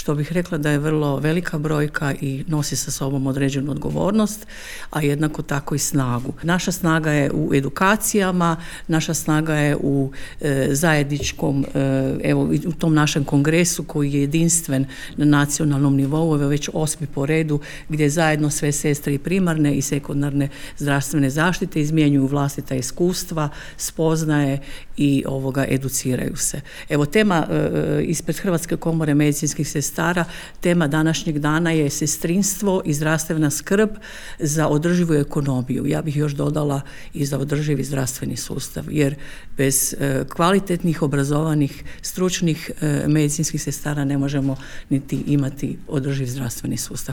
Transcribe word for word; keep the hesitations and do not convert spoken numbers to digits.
što bih rekla da je vrlo velika brojka i nosi sa sobom određenu odgovornost, a jednako tako i snagu. Naša snaga je u edukacijama, naša snaga je u e, zajedničkom, e, evo u tom našem kongresu koji je jedinstven na nacionalnom nivou, ovo je već osmi po redu, gdje zajedno sve sestre i primarne i sekundarne zdravstvene zaštite izmjenjuju vlastita iskustva, spoznaje i ovoga educiraju se. Evo tema e, ispred Hrvatske komore medicinskih sestara, tema današnjeg dana je sestrinstvo i zdravstvena skrb za održivu ekonomiju. Ja bih još dodala i za održivi zdravstveni sustav, jer bez e, kvalitetnih, obrazovanih, stručnih e, medicinskih sestara ne možemo niti imati održiv zdravstveni sustav.